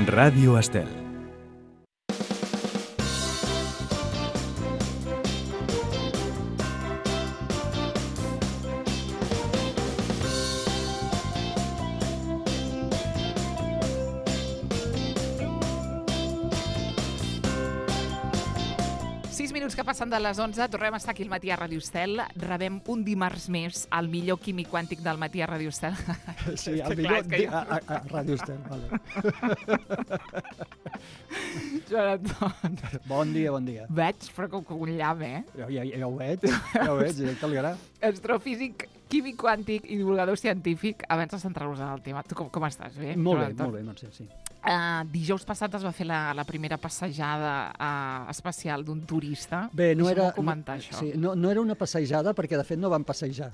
Ràdio Estel. Que passen de les 11, tornem a estar aquí al matí a Ràdio Estel. Rebem un dimarts més el millor químic quàntic del matí a Ràdio Estel. Sí, el millor a Ràdio Estel, vale. Joan Anton. Bon dia. Veig, però com un llamp, Ja ho veig, directe al gra. Astrofísic, químic quàntic i divulgador científic. Abans de centrar-nos en el tema, tu com estàs? Bé? Molt bé, Mercè, sí. Dijous passat es va fer la primera passejada espacial d'un turista. Bé, no era... comentar això. Sí, no era una passejada perquè, de fet, no van passejar.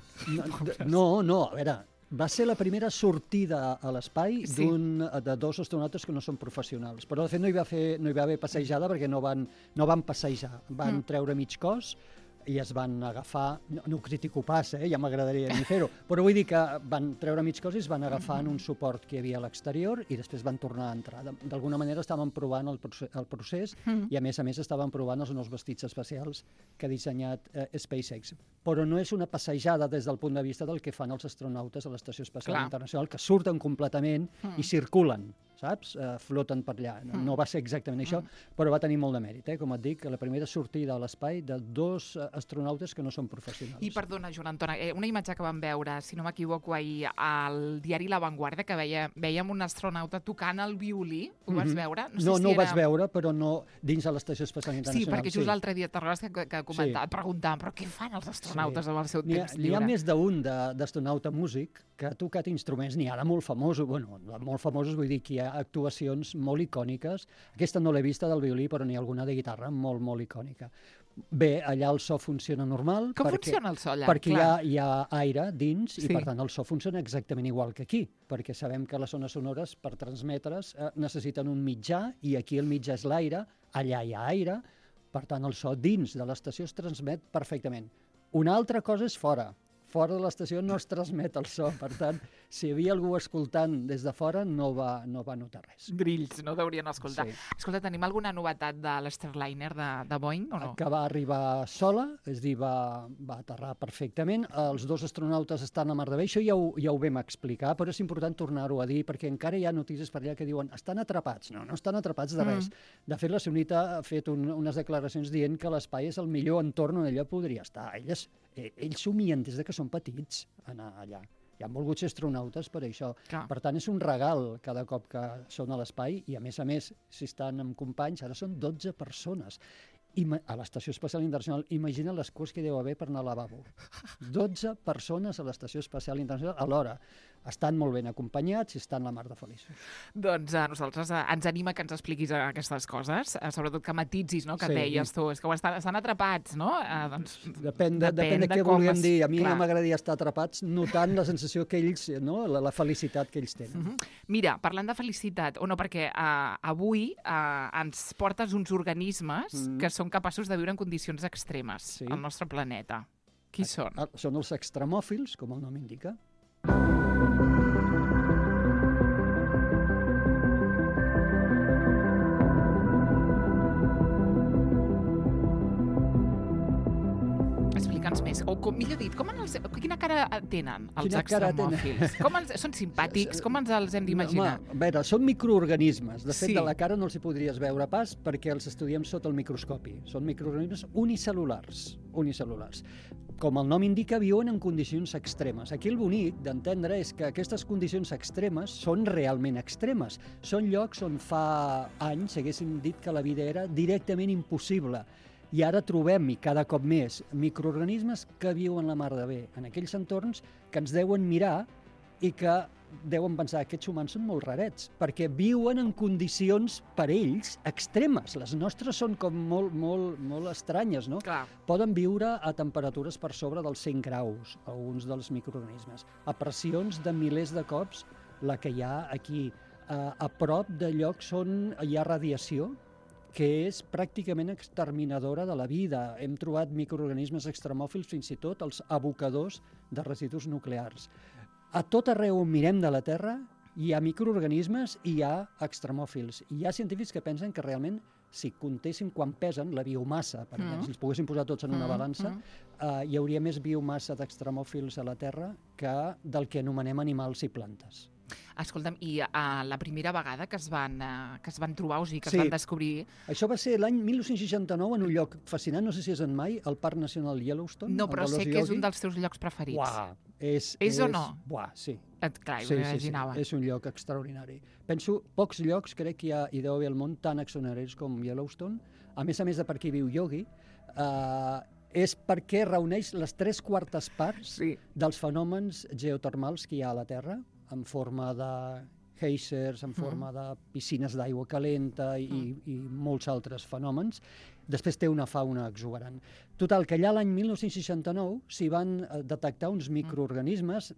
No, a veure, va ser la primera sortida a l'espai de dos astronautes que no són professionals. Però, de fet, no hi va haver passejada perquè no van passejar. Van treure mig cos i es van agafar, no ho critico pas, ja m'agradaria ni fer-ho, però vull dir que van treure mig cos i es van agafar en un suport que hi havia a l'exterior i després van tornar a entrar. D'alguna manera estaven provant el procés i a més estaven provant els nous vestits espacials que ha dissenyat SpaceX. Però no és una passejada des del punt de vista del que fan els astronautes a l'Estació Espacial Internacional, que surten completament i circulen, saps? Floten per allà. No va ser exactament això, però va tenir molt de mèrit, com et dic, la primera sortida a l'espai de dos astronautes que no són professionals. I perdona, Joan Anton, una imatge que vam veure, si no m'equivoco, ahir al diari La Vanguardia, que vèiem un astronauta tocant el violí. Ho vas veure? No ho vaig veure, però no dins de l'Estació Espacial Internacional. Sí, perquè just l'altre dia que preguntàvem, però què fan els astronautes amb el seu temps lliure? N'hi ha més d'un d'astronauta músic que ha tocat instruments, n'hi ha de molt famosos, vull dir que hi ha actuacions molt icòniques. Aquesta no l'he vista del violí, però n'hi ha alguna de guitarra molt, molt icònica. Bé, allà el so funciona normal. Com funciona el so allà? Perquè hi ha aire dins i, per tant, el so funciona exactament igual que aquí, perquè sabem que les ones sonores, per transmetre's, necessiten un mitjà, i aquí el mitjà és l'aire, allà hi ha aire, per tant, el so dins de l'estació es transmet perfectament. Una altra cosa és fora. Fora de l'estació no es transmet el so, per tant, si hi havia algú escoltant des de fora no va notar res. Grills, no deurien escoltar. Sí. Escolta, tenim alguna novetat de l'Starliner de Boeing o no? Que va arribar sola, és a dir, va aterrar perfectament. Els dos astronautes estan a mar de bé, això ja ho vam explicar, però és important tornar-ho a dir, perquè encara hi ha notícies per allà que diuen estan atrapats. No estan atrapats de res. De fet, la Sunita ha fet unes declaracions dient que l'espai és el millor entorn on ella podria estar. Ells somien des que són petits anar allà. Hi han volgut ser astronautes per això. Per tant, és un regal cada cop que són a l'espai i, a més, si estan amb companys, ara són 12 persones. A l'Estació Espacial Internacional, imagina les coses que deu haver per anar al lavabo. 12 persones a l'Estació Espacial Internacional alhora. Estan molt ben acompanyats i estan la mar de feliços. Doncs a nosaltres ens anima que ens expliquis aquestes coses, sobretot que matitzis, no?, que deies tu, és que estan atrapats, no? Depèn de què volíem dir. A mi m'agradaria estar atrapats notant la sensació que ells, la felicitat que ells tenen. Mira, parlant de felicitat, perquè avui ens portes uns organismes que són capaços de viure en condicions extremes al nostre planeta. Qui són? Són els extremòfils, com el nom indica. Explica'ns més, o millor dit, quina cara tenen els extremòfils? Són simpàtics? Com ens els hem d'imaginar? A veure, són microorganismes. De fet, de la cara no els hi podries veure pas perquè els estudiem sota el microscopi. Són microorganismes unicel·lulars. Com el nom indica, viuen en condicions extremes. Aquí el bonic d'entendre és que aquestes condicions extremes són realment extremes. Són llocs on fa anys haguéssim dit que la vida era directament impossible. I ara trobem, i cada cop més, microorganismes que viuen la mar de bé en aquells entorns que ens deuen mirar i que deuen pensar que aquests humans són molt rarets, perquè viuen en condicions per ells extremes. Les nostres són com molt estranyes, no? Clar. Poden viure a temperatures per sobre dels 100 graus, alguns dels microorganismes, a pressions de milers de cops la que hi ha aquí. A prop de llocs on hi ha radiació, que és pràcticament exterminadora de la vida. Hem trobat microorganismes extremòfils, fins i tot els abocadors de residus nuclears. A tot arreu on mirem de la Terra Hi ha microorganismes i hi ha extremòfils. Hi ha científics que pensen que realment, si comptéssim quan pesen, la biomassa, per exemple, si els poguéssim posar tots en una balança, hi hauria més biomassa d'extremòfils a la Terra que del que anomenem animals i plantes. Escolta'm, i la primera vegada que es van trobar, o sigui, que es van descobrir... Això va ser l'any 1969 en un lloc fascinant, no sé si és en mai, el Parc Nacional Yellowstone. No, però sé que és un dels teus llocs preferits. Uah, és o no? Buah, sí. Clar, m'imaginava. És un lloc extraordinari. Penso, pocs llocs crec que hi deu haver al món tan extraordinaris com Yellowstone. A més de per aquí viu Yogi, és perquè reuneix les 3/4 parts dels fenòmens geotermals que hi ha a la Terra, en forma de geysers, en forma de piscines d'aigua calenta i molts altres fenòmens. Després té una fauna exuberant. Total, que allà l'any 1969 s'hi van detectar uns microorganismes,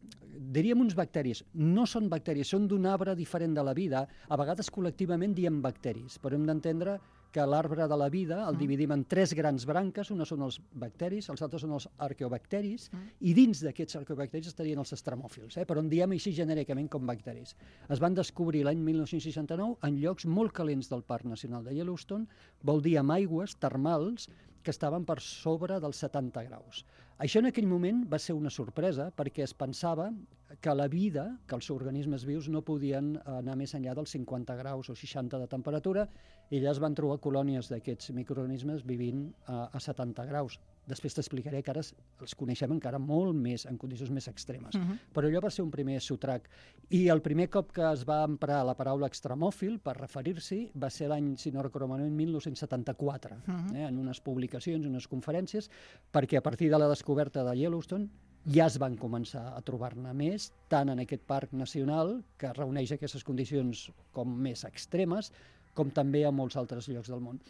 diríem uns bacteris. No són bacteris, són d'un arbre diferent de la vida. A vegades col·lectivament diem bacteris, però hem d'entendre que l'arbre de la vida el dividim en 3 grans branques, una són els bacteris, els altres són els arqueobacteris, i dins d'aquests arqueobacteris estarien els extremòfils, però en diem així genèricament com bacteris. Es van descobrir l'any 1969 en llocs molt calents del Parc Nacional de Yellowstone, vol dir amb aigües termals que estaven per sobre dels 70 graus. Això en aquell moment va ser una sorpresa perquè es pensava que la vida, que els organismes vius no podien anar més enllà dels 50 graus o 60 de temperatura, i allà es van trobar colònies d'aquests microorganismes vivint a 70 graus. Després t'explicaré que ara els coneixem encara molt més, en condicions més extremes. Però allò va ser un primer sotrac. I el primer cop que es va emprar la paraula extremòfil per referir-s'hi va ser l'any, si no recordo malament, 1974, en unes publicacions, unes conferències, perquè a partir de la descoberta de Yellowstone ja es van començar a trobar-ne més, tant en aquest parc nacional, que reuneix aquestes condicions com més extremes, com també a molts altres llocs del món.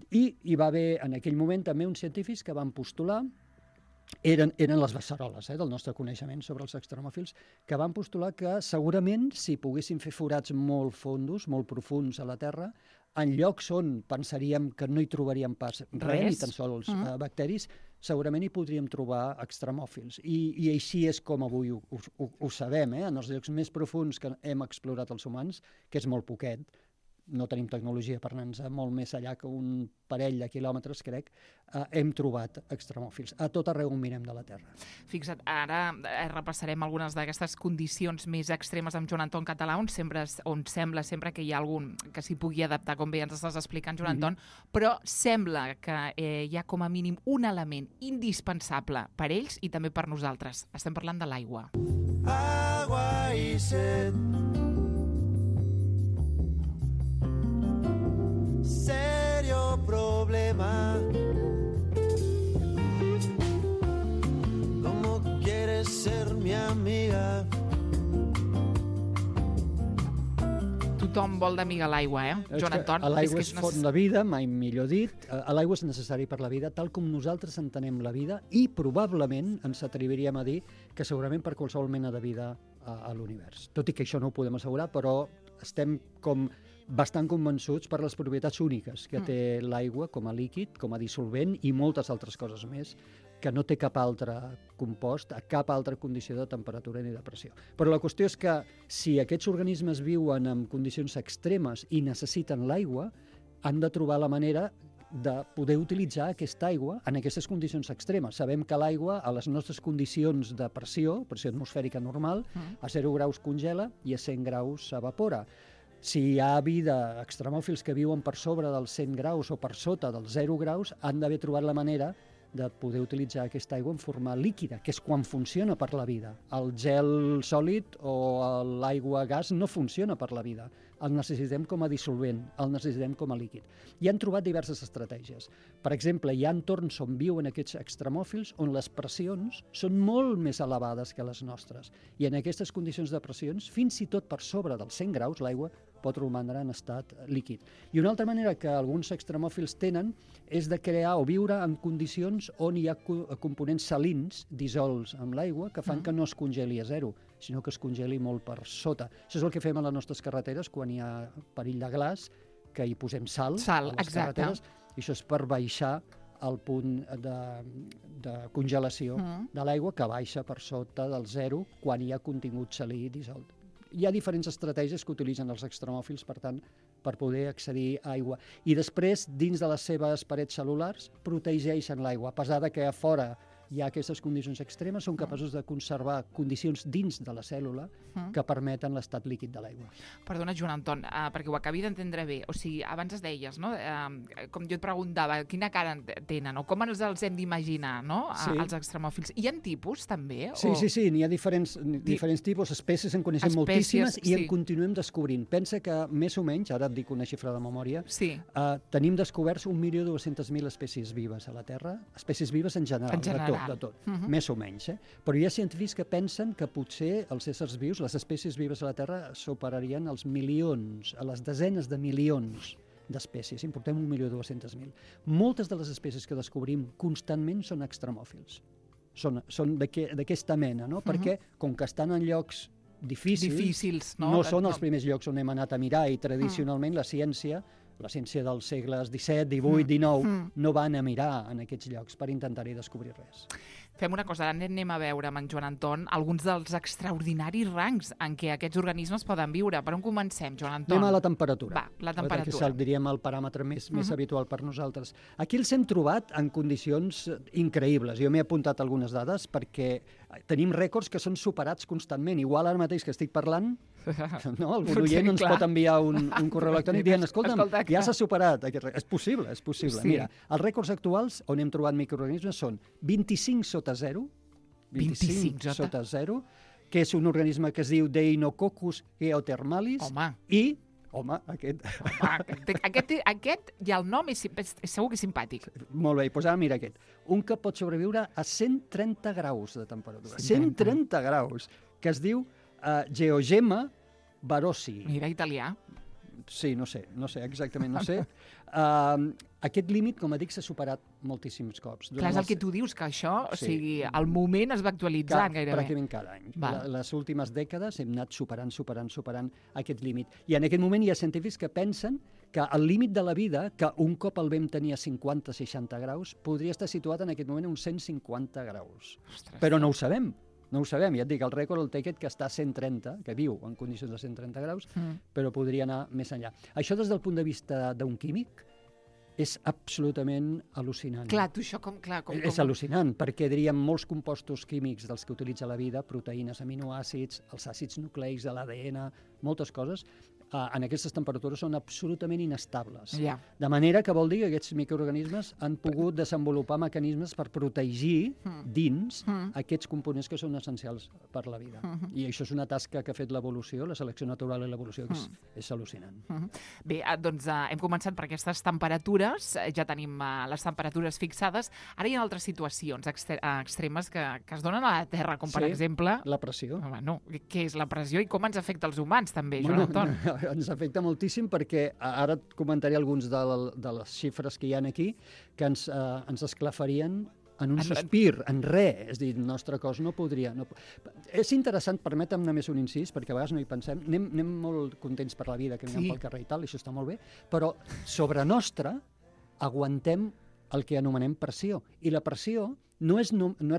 I hi va haver en aquell moment també uns científics que van postular, eren les beceroles del nostre coneixement sobre els extremòfils, que van postular que segurament si poguéssim fer forats molt fondos, molt profunds a la Terra, en llocs on pensaríem que no hi trobaríem pas res, ni tan sols bacteris, segurament hi podríem trobar extremòfils. I així és com avui ho sabem, en els llocs més profuns que hem explorat els humans, que és molt poquet, no tenim tecnologia per anar-nos molt més allà que un parell de quilòmetres, crec, hem trobat extremòfils a tot arreu on mirem de la Terra. Fixa't, ara repassarem algunes d'aquestes condicions més extremes amb Joan Anton Català, on sembla sempre que hi ha algun que s'hi pugui adaptar, com bé ens estàs explicant, Joan Anton, però sembla que hi ha com a mínim un element indispensable per ells i també per nosaltres. Estem parlant de l'aigua. Agua i set, serio problema. ¿Cómo quieres ser mi amiga? Tothom vol d'amiga l'aigua, Joan Anton? L'aigua és font de vida, mai millor dit. L'aigua és necessari per la vida, tal com nosaltres entenem la vida, i probablement ens atreviríem a dir que segurament per qualsevol mena de vida a l'univers. Tot i que això no ho podem assegurar, però estem com bastant convençuts per les propietats úniques que té l'aigua com a líquid, com a dissolvent i moltes altres coses més que no té cap altre compost, a cap altra condició de temperatura ni de pressió. Però la qüestió és que si aquests organismes viuen en condicions extremes i necessiten l'aigua, han de trobar la manera de poder utilitzar aquesta aigua en aquestes condicions extremes. Sabem que l'aigua, a les nostres condicions de pressió atmosfèrica normal, a 0 graus congela i a 100 graus s'evapora. Si hi ha vida, extremòfils que viuen per sobre dels 100 graus o per sota dels 0 graus, han d'haver trobat la manera de poder utilitzar aquesta aigua en forma líquida, que és quan funciona per la vida. El gel sòlid o l'aigua gas no funciona per la vida. El necessitem com a dissolvent, el necessitem com a líquid. I han trobat diverses estratègies. Per exemple, hi ha entorns on viuen aquests extremòfils on les pressions són molt més elevades que les nostres. I en aquestes condicions de pressions, fins i tot per sobre dels 100 graus, l'aigua pot romandre en estat líquid. I una altra manera que alguns extremòfils tenen és de crear o viure en condicions on hi ha components salins dissolts amb l'aigua que fan que no es congeli a 0, sinó que es congeli molt per sota. Això és el que fem a les nostres carreteres quan hi ha perill de glaç, que hi posem sal a les carreteres, i això és per baixar el punt de congelació de l'aigua, que baixa per sota del 0 quan hi ha contingut salí dissolt. hi ha diferents estratègies que utilitzen els extremòfils, per tant, per poder accedir a aigua. I després, dins de les seves parets cel·lulars, protegeixen l'aigua. A pesar de que a fora hi ha aquestes condicions extremes, són capaços de conservar condicions dins de la cèl·lula que permeten l'estat líquid de l'aigua. Perdona, Joan Anton, perquè ho acabi d'entendre bé. O sigui, abans es deies, no? Com jo et preguntava, quina cara tenen o com ens els hem d'imaginar, no? Els extremòfils. Hi ha tipus, també? Sí, n'hi ha diferents tipus, espècies en coneixem moltíssimes i en continuem descobrint. Pensa que més o menys, ara et dic una xifra de memòria, tenim descoberts 1.200.000 espècies vives a la Terra, espècies vives en general. De tot, més o menys. Però hi ha científics que pensen que potser els éssers vius, les espècies vives a la Terra, superarien els milions, a les desenes de milions d'espècies. Importem 1.200.000. Moltes de les espècies que descobrim constantment són extremòfils. Són d'aquesta mena, no? Perquè, com que estan en llocs difícils, no són els primers llocs on hem anat a mirar, i tradicionalment la ciència dels segles XVII, XVIII, XIX, no van a mirar en aquests llocs per intentar-hi descobrir res. Fem una cosa, ara anem a veure amb en Joan Anton alguns dels extraordinaris rangs en què aquests organismes poden viure. Per on comencem, Joan Anton? Anem a la temperatura. Va, la temperatura. Que diríem el paràmetre més habitual per nosaltres. Aquí els hem trobat en condicions increïbles. Jo m'he apuntat algunes dades perquè tenim rècords que són superats constantment. Igual ara mateix que estic parlant, algun oient ens pot enviar un correu electrònic dient, escolta'm, ja s'ha superat aquest rècord. És possible. Mira, els rècords actuals on hem trobat microorganismes són 25 sota 0, 25 sota 0, que és un organisme que es diu Deinococcus geothermalis, aquest ja el nom és segur que és simpàtic. Molt bé, doncs ara mira aquest. Un que pot sobreviure a 130 graus de temperatura. 130 graus, que es diu Geogema barosi. Mira, italià. Sí, no sé, exactament, no sé. Aquest límit, com dic, s'ha superat moltíssims cops. Clar, és el que tu dius, que això, o sigui, al moment es va actualitzant gairebé. Pràcticament cada any. Les últimes dècades hem anat superant aquest límit. I en aquest moment hi ha científics que pensen que el límit de la vida, que un cop el vam tenir a 50-60 graus, podria estar situat en aquest moment a uns 150 graus. Però no ho sabem. Ja et dic, el rècord el té aquest que està a 130, que viu en condicions de 130 graus, però podria anar més enllà. Això des del punt de vista d'un químic és absolutament al·lucinant. Clar, tu això com... És al·lucinant, perquè diríem molts compostos químics dels que utilitza la vida, proteïnes, aminoàcids, els àcids nucleics de l'ADN, moltes coses, en aquestes temperatures són absolutament inestables. De manera que vol dir que aquests microorganismes han pogut desenvolupar mecanismes per protegir dins aquests components que són essencials per la vida. I això és una tasca que ha fet l'evolució, la selecció natural i l'evolució, que és al·lucinant. Bé, doncs hem començat per aquestes temperatures, ja tenim les temperatures fixades. Ara hi ha altres situacions extremes que es donen a la Terra, com per exemple... la pressió. Què és la pressió i com ens afecta als humans, també, Joan Anton? Ens afecta moltíssim perquè ara et comentaré alguns de les xifres que hi ha aquí que ens esclafarien en un sospir, en res. És a dir, el nostre cos no podria... És interessant, permetem només un incís, perquè a vegades no hi pensem. Anem molt contents per la vida, que anem pel carrer i tal, i això està molt bé, però sobre nostra aguantem el que anomenem pressió. I la pressió no és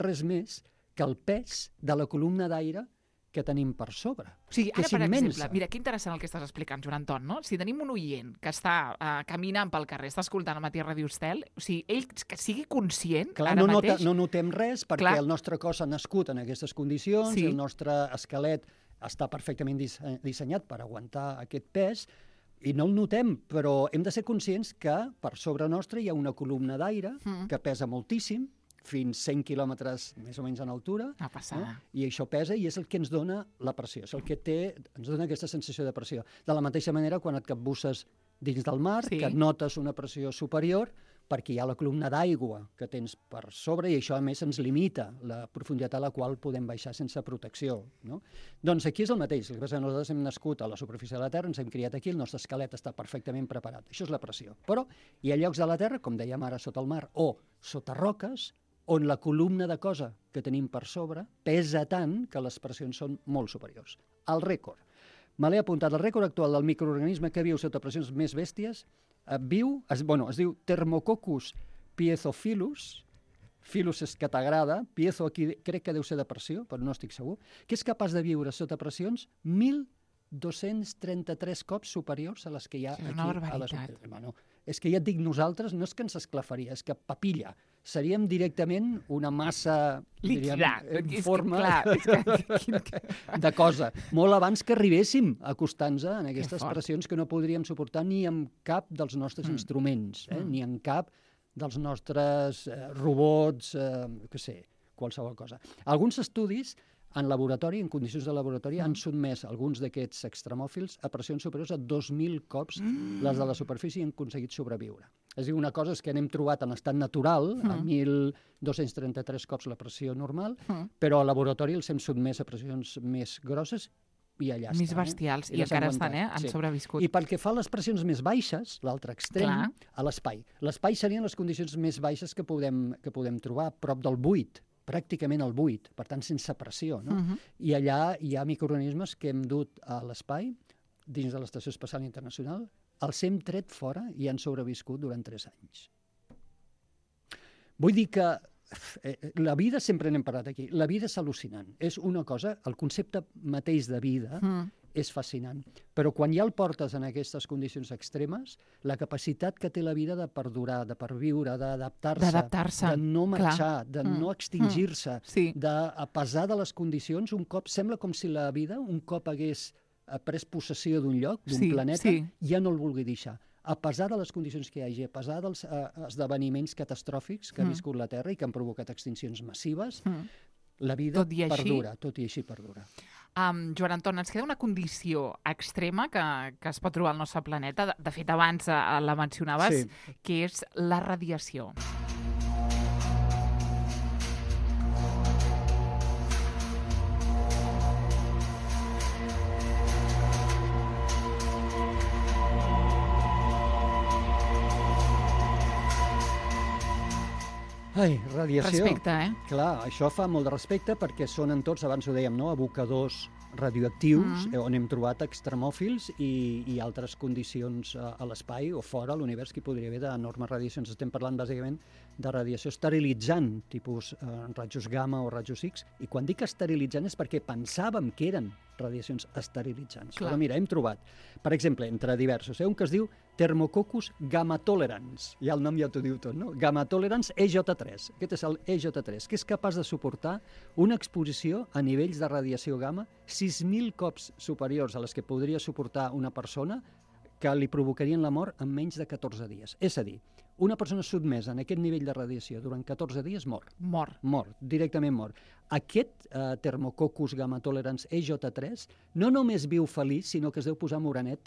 res més que el pes de la columna d'aire que tenim per sobre. O sigui, ara, per exemple, mira, que interessant el que estàs explicant, Joan Anton, no? Si tenim un oient que està caminant pel carrer, està escoltant el Matí a Ràdio Estel, o sigui, ell que sigui conscient ara mateix... No notem res perquè el nostre cos ha nascut en aquestes condicions, el nostre esquelet està perfectament dissenyat per aguantar aquest pes, i no el notem, però hem de ser conscients que per sobre nostre hi ha una columna d'aire que pesa moltíssim, fins 100 quilòmetres més o menys en altura, i això pesa i és el que ens dona la pressió, és el que ens dona aquesta sensació de pressió. De la mateixa manera, quan et capbusses dins del mar, que notes una pressió superior, perquè hi ha la columna d'aigua que tens per sobre i això, a més, ens limita la profunditat a la qual podem baixar sense protecció. Doncs aquí és el mateix. El que passa és que nosaltres hem nascut a la superfície de la Terra, ens hem criat aquí, el nostre esquelet està perfectament preparat. Això és la pressió. Però hi ha llocs de la Terra, com dèiem ara, sota el mar, o sota roques, on la columna de cosa que tenim per sobre pesa tant que les pressions són molt superiors. El rècord. Me l'he apuntat. El rècord actual del microorganisme que viu sota pressions més bèsties es diu Thermococcus piezophilus, Philus és que t'agrada, piezo aquí crec que deu ser de pressió, però no estic segur, que és capaç de viure sota pressions 1.000 233 cops superiors a les que hi ha És aquí una a les... barbaritat. Bueno, és que ja et dic, nosaltres no és que ens esclafaria, és que papilla. Seríem directament una massa, diríem, en forma de cosa. Molt abans que arribéssim a acostar-nos en aquestes pressions que no podríem suportar ni amb cap dels nostres instruments, ni en cap dels nostres robots, què sé, qualsevol cosa. Alguns estudis en laboratori, en condicions de laboratori, han sotmès alguns d'aquests extremòfils a pressions superiors a 2.000 cops les de la superfície i han aconseguit sobreviure. És a dir, una cosa és que n'hem trobat en estat natural, a 1.233 cops la pressió normal, però al laboratori els hem sotmès a pressions més grosses i allà estan. Més bestials, i encara estan, han sobreviscut. I pel que fa a les pressions més baixes, l'altre extrem, a l'espai. L'espai serien les condicions més baixes que podem trobar, prop del buit, pràcticament al buit, per tant sense pressió. No? I allà hi ha microorganismes que hem dut a l'espai, dins de l'Estació Espacial Internacional, els hem tret fora i han sobreviscut durant 3 anys. Vull dir que la vida, sempre n'hem parlat aquí, la vida és al·lucinant. És una cosa, el concepte mateix de vida és fascinant. Però quan ja el portes en aquestes condicions extremes, la capacitat que té la vida de perdurar, de perviure, d'adaptar-se, de no marxar, de no extingir-se, a pesar de les condicions, un cop sembla com si la vida, un cop hagués pres possessió d'un lloc, d'un planeta, ja no el vulgui deixar. A pesar de les condicions que hi hagi, a pesar dels esdeveniments catastròfics que ha viscut la Terra i que han provocat extincions massives, la vida perdura, tot i així perdura. Joan Anton, ens queda una condició extrema que es pot trobar al nostre planeta, de fet abans la mencionaves, que és la radiació. Ai, radiació. Respecte, Clar, això fa molt de respecte perquè són en tots, abans ho dèiem, no? Abocadors radioactius, on hem trobat extremòfils i altres condicions a l'espai o fora, a l'univers, que hi podria haver d'enormes radiacions. Estem parlant bàsicament de radiació esterilitzant, tipus rajos gamma o rajos X, i quan dic esterilitzant és perquè pensàvem que eren radiacions esterilitzants. Però mira, hem trobat, per exemple, entre diversos, un que es diu Thermococcus gamma-tolerans. Ja el nom ja t'ho diu tot, no? Gamma-tolerans EJ3. Aquest és el EJ3, que és capaç de suportar una exposició a nivells de radiació gamma 6.000 cops superiors a les que podria suportar una persona que li provocarien la mort en menys de 14 dies. És a dir, una persona sotmesa en aquest nivell de radiació durant 14 dies mor. Mor, directament mor. Aquest Thermococcus gamma-tolerans EJ3 no només viu feliç, sinó que es deu posar morenet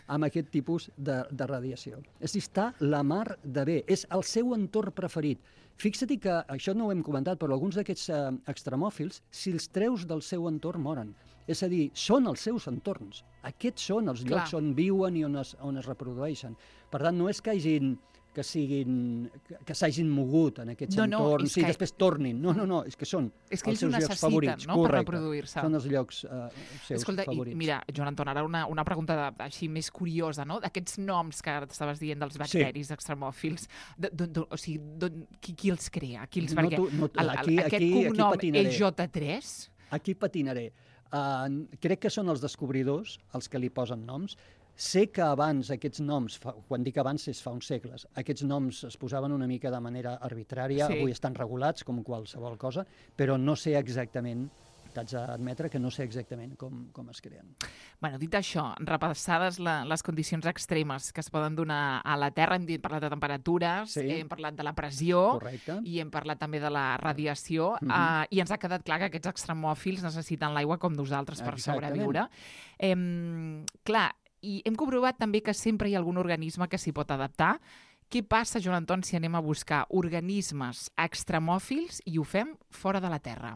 amb aquest tipus de radiació. És a dir, està la mar de bé. És el seu entorn preferit. Fixa't que, això no ho hem comentat, però alguns d'aquests extremòfils, si els treus del seu entorn, moren. És a dir, són els seus entorns. Aquests són els llocs on viuen i on es reprodueixen. Per tant, no és que s'hagin mogut en aquests entorns i després tornin. No, és que són els seus llocs favorits. Per reproduir-se. Són els llocs seus favorits. Mira, Joan Anton, ara una pregunta així més curiosa, no? D'aquests noms que estaves dient dels bacteris extremòfils, o sigui, qui els crea? Aquest cognom EJ3? Aquí patinaré. Crec que són els descobridors els que li posen noms. Sé que abans aquests noms, quan dic abans és fa uns segles, aquests noms es posaven una mica de manera arbitrària, avui estan regulats com qualsevol cosa, però no sé exactament, t'haig d'admetre que no sé exactament com es creen. Bueno, dit això, repassades les condicions extremes que es poden donar a la Terra, hem parlat de temperatures, hem parlat de la pressió i hem parlat també de la radiació i ens ha quedat clar que aquests extremòfils necessiten l'aigua com nosaltres per sobreviure. Clar, i hem comprovat també que sempre hi ha algun organisme que s'hi pot adaptar. Què passa, Joan Anton, si anem a buscar organismes extremòfils i ho fem fora de la Terra?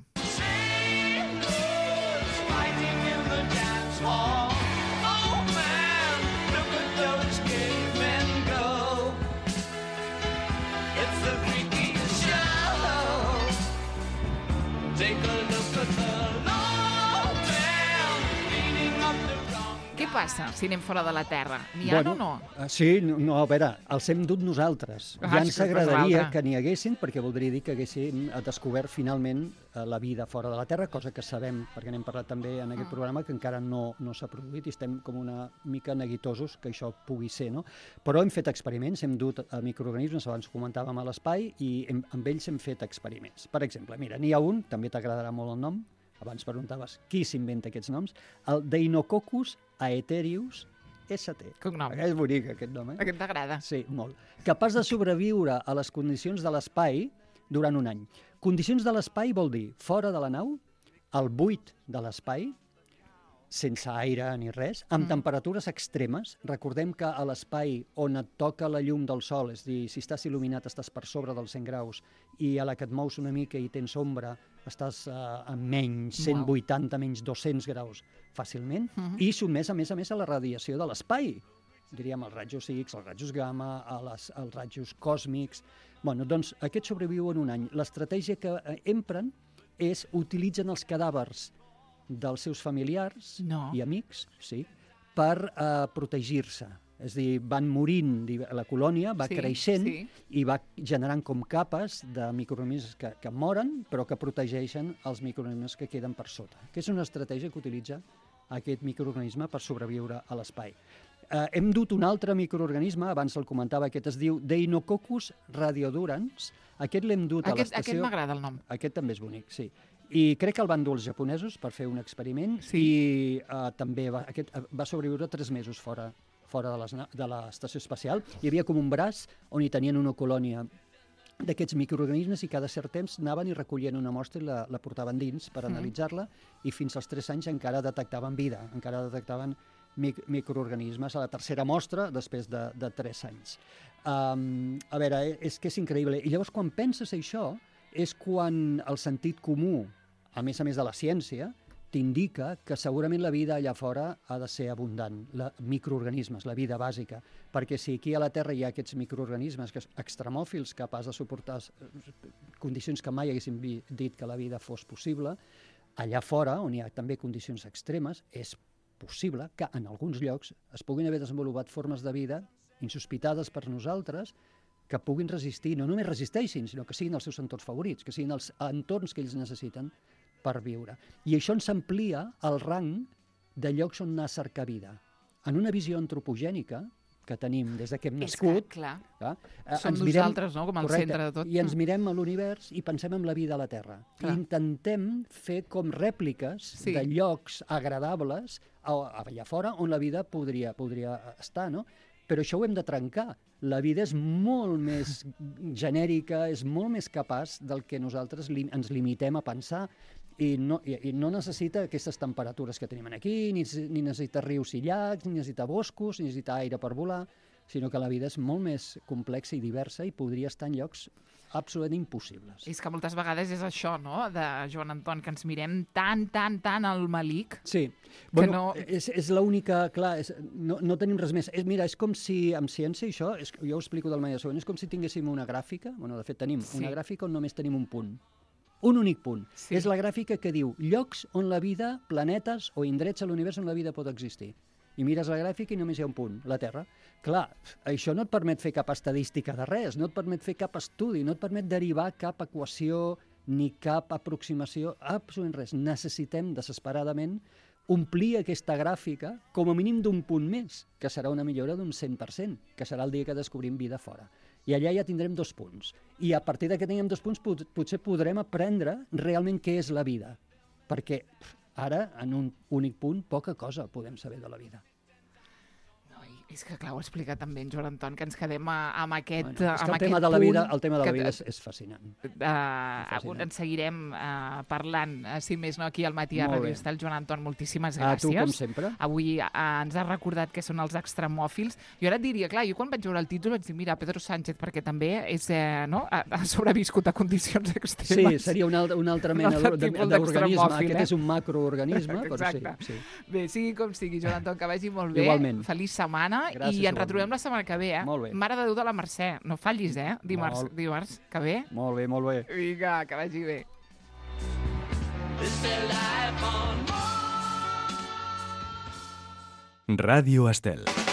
Què què passa si anem fora de la Terra? N'hi ha o no? Sí, no, a veure, els hem dut nosaltres. Ja ens agradaria que n'hi haguessin, perquè voldria dir que haguéssim descobert finalment la vida fora de la Terra, cosa que sabem, perquè n'hem parlat també en aquest programa, que encara no s'ha produït i estem com una mica neguitosos que això pugui ser, no? Però hem fet experiments, hem dut microorganismes, abans comentàvem a l'espai, i amb ells hem fet experiments. Per exemple, mira, n'hi ha un, també t'agradarà molt el nom, abans preguntaves qui s'inventa aquests noms, el Deinococcus aetherius ST. Cognom. És bonic aquest nom, eh? Aquest t'agrada? Sí, molt. Capaç de sobreviure a les condicions de l'espai durant un any. Condicions de l'espai vol dir fora de la nau, al buit de l'espai, sense aire ni res, amb temperatures extremes. Recordem que a l'espai on et toca la llum del sol, és a dir, si estàs il·luminat estàs per sobre dels 100 graus i a la que et mous una mica i tens ombra estàs a menys 180, menys 200 graus fàcilment, i sotmès a més a la radiació de l'espai. Diríem els rajos X, els rajos gamma, els rajos còsmics. Bueno, doncs aquests sobreviuen un any. L'estratègia que empren és utilitzen els cadàvers dels seus familiars i amics, sí, per protegir-se. És a dir, van morint, la colònia va creixent i va generant com capes de microorganismes que moren, però que protegeixen els microorganismes que queden per sota. Que és una estratègia que utilitza aquest microorganisme per sobreviure a l'espai. Hem dut un altre microorganisme, abans el comentava, aquest es diu Deinococcus radiodurans. Aquest l'hem dut a l'estació... Aquest m'agrada el nom. Aquest també és bonic, sí. I crec que el van dur els japonesos per fer un experiment i també aquest va sobreviure 3 mesos fora de l'estació espacial. Hi havia com un braç on hi tenien una colònia d'aquests microorganismes i cada cert temps anaven i recollien una mostra i la portaven dins per analitzar-la i fins als 3 anys encara detectaven vida, encara detectaven microorganismes a la tercera mostra després de 3 anys. A veure, és que és increïble. I llavors quan penses això és quan el sentit comú, a més de la ciència, t'indica que segurament la vida allà fora ha de ser abundant, microorganismes, la vida bàsica, perquè si aquí a la Terra hi ha aquests microorganismes extremòfils capaços de suportar condicions que mai haguéssim dit que la vida fos possible, allà fora, on hi ha també condicions extremes, és possible que en alguns llocs es puguin haver desenvolupat formes de vida insospitades per nosaltres que puguin resistir, no només resisteixin, sinó que siguin els seus entorns favorits, que siguin els entorns que ells necessiten per viure. I això ens amplia el rang de llocs on anar a cercar vida. En una visió antropogènica que tenim des que hem nascut... Clar. Som nosaltres, no?, com al centre de tot. I ens mirem a l'univers i pensem en la vida a la Terra. I intentem fer com rèpliques de llocs agradables allà fora on la vida podria estar, no? Però això ho hem de trencar. La vida és molt més genèrica, és molt més capaç del que nosaltres ens limitem a pensar i no necessita aquestes temperatures que tenim aquí, ni necessita rius i llacs, ni necessita boscos, ni necessita aire per volar, sinó que la vida és molt més complexa i diversa i podria estar en llocs absolutament impossibles. És que moltes vegades és això, no?, de Joan Anton, que ens mirem tan al malic... Sí, bueno, és l'única... Clar, no tenim res més. Mira, és com si, amb ciència, això, jo ho explico de la manera següent, és com si tinguéssim una gràfica, bueno, de fet tenim una gràfica on només tenim un punt. Un únic punt. És la gràfica que diu llocs on la vida, planetes o indrets a l'univers on la vida pot existir. I mires la gràfica i només hi ha un punt, la Terra. Clar, això no et permet fer cap estadística de res, no et permet fer cap estudi, no et permet derivar cap equació ni cap aproximació, absolutament res. Necessitem desesperadament omplir aquesta gràfica com a mínim d'un punt més, que serà una millora d'un 100%, que serà el dia que descobrim vida fora. I allà ja tindrem 2 punts. I a partir que tinguem 2 punts potser podrem aprendre realment què és la vida. Perquè ara, en un únic punt, poca cosa podem saber de la vida. És que, clar, ho ha explicat també en Joan Anton, que ens quedem amb aquest punt... És que el tema de la vida és fascinant. En seguirem parlant, si més no, aquí al Matí a Ràdio Estel. Joan Anton, moltíssimes gràcies. A tu, com sempre. Avui ens has recordat què són els extremòfils. Jo ara et diria, clar, jo quan vaig veure el títol vaig dir, mira, Pedro Sánchez, perquè també ha sobreviscut a condicions extremes. Sí, seria una altra mena d'organisme. Aquest és un macroorganisme. Exacte. Bé, sigui com sigui, Joan Anton, que vagi molt bé. Igualment. Feliç setmana. Gràcies, i ens retrobem la setmana que ve, Molt bé. Mare de Déu de la Mercè. No fallis, dimarts que ve. Molt bé. Vinga, que vagi bé. Ràdio Estel.